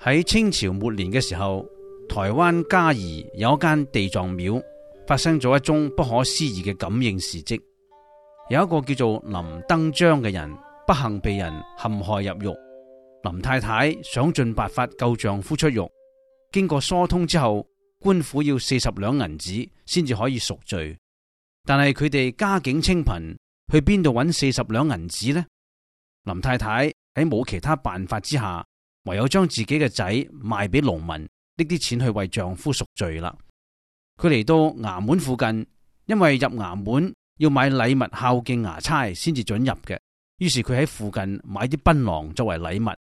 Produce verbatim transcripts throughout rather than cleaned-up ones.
喺清朝末年嘅時候，台灣嘉義有一間地藏廟發生咗一宗不可思議嘅感應事蹟。有一個叫做林登章嘅人不幸被人陷害入獄，林太太想盡辦法救丈夫出獄，經過疏通之後，官府要四十兩銀子先至可以贖罪，但係佢哋家境清貧，去邊度揾四十兩銀子呢？林太太喺冇其他辦法之下，唯有將自己嘅仔賣俾農民，搦啲錢去為丈夫贖罪啦。佢嚟到衙門附近，因為入衙門要買禮物孝敬衙差先至准入嘅，於是佢喺附近買啲檳榔作為禮物。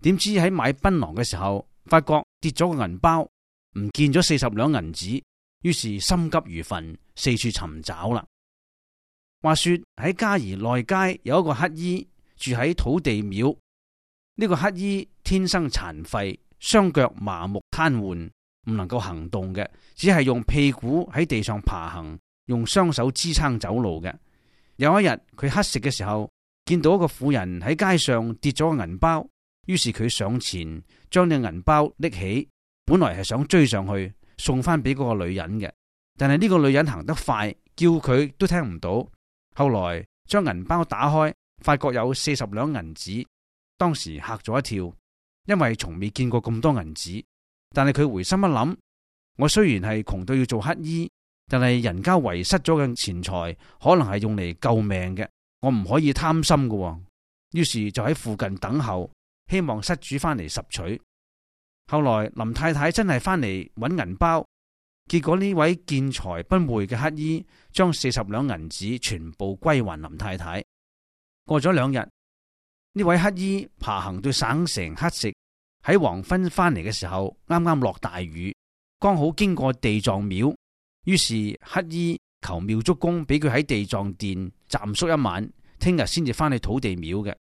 點知喺買檳榔嘅時候，發覺跌咗個銀包，唔見咗四十兩銀子，於是心急如焚，四處尋找啦。話說喺嘉義內街有一個乞衣住喺土地廟，呢個乞衣天生殘廢，雙腳麻木癱瘓，唔能夠行動嘅，只係用屁股喺地上爬行，用雙手支撐走路嘅。有一日佢乞食嘅時候，見到一個婦人喺街上跌咗個銀包，於是佢上前將呢個銀包拎起，本來係想追上去送翻俾嗰個女人嘅，但係呢個女人行得快，叫佢都聽唔到。後來將銀包打開，發覺有四十兩銀子，當時嚇咗一跳，因為從未見過咁多銀子。但係佢回心一諗，我雖然係窮到要做乞衣，但係人家遺失咗嘅錢財可能係用嚟救命嘅，我唔可以貪心嘅。於是就喺附近等候，希望失主翻嚟拾取。後來林太太真係翻嚟揾銀包，結果呢位見財不昧嘅乞衣將四十兩銀子全部歸還林太太。過咗兩日，呢位乞衣爬行到省城乞食，喺黃昏翻嚟嘅時候，啱啱落大雨，剛好經過地藏廟，於是乞衣求廟祝公俾佢喺地藏殿暫宿一晚，聽日先至翻去土地廟嘅。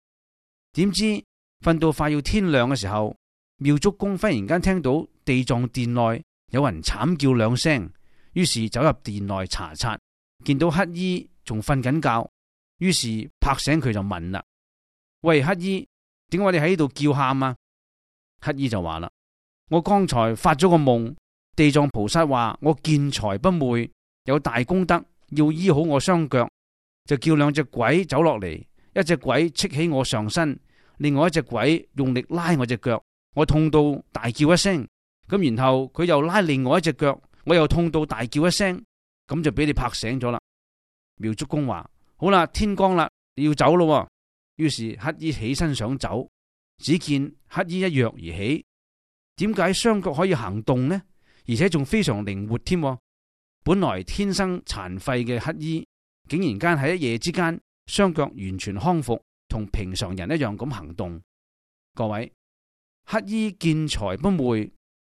點知瞓到快要天亮嘅時候，廟祝公忽然間聽到地藏殿內有人慘叫兩聲，於是走入殿內查察，見到乞衣仲瞓緊覺，於是拍醒佢就問啦：喂，乞衣，點解你喺呢度叫喊啊？乞衣就話啦：我剛才發咗個夢，地藏菩薩話我見財不昧，有大功德，要醫好我雙腳，就叫兩隻鬼走落嚟，一隻鬼戚起我上身，另外一隻鬼用力拉我隻腳，我痛到大叫一聲，咁然後佢又拉另外一隻腳，我又痛到大叫一聲，咁就俾你拍醒咗啦。廟祝公話：好啦，天光啦，你要走咯。於是乞衣起身想走，只見乞衣一躍而起，點解雙腳可以行動呢？而且仲非常靈活添。本來天生殘廢嘅乞衣，竟然間喺一夜之間，雙腳完全康復，同平常人一樣咁行動。各位，乞衣見財不昧，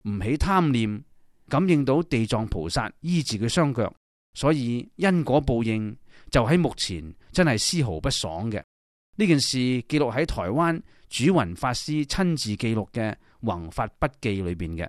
唔起貪念，感應到地藏菩薩醫治佢雙腳，所以因果報應就喺目前真係絲毫不爽嘅。呢件事記錄喺台灣主雲法師親自記錄嘅《弘法筆記》裏邊嘅。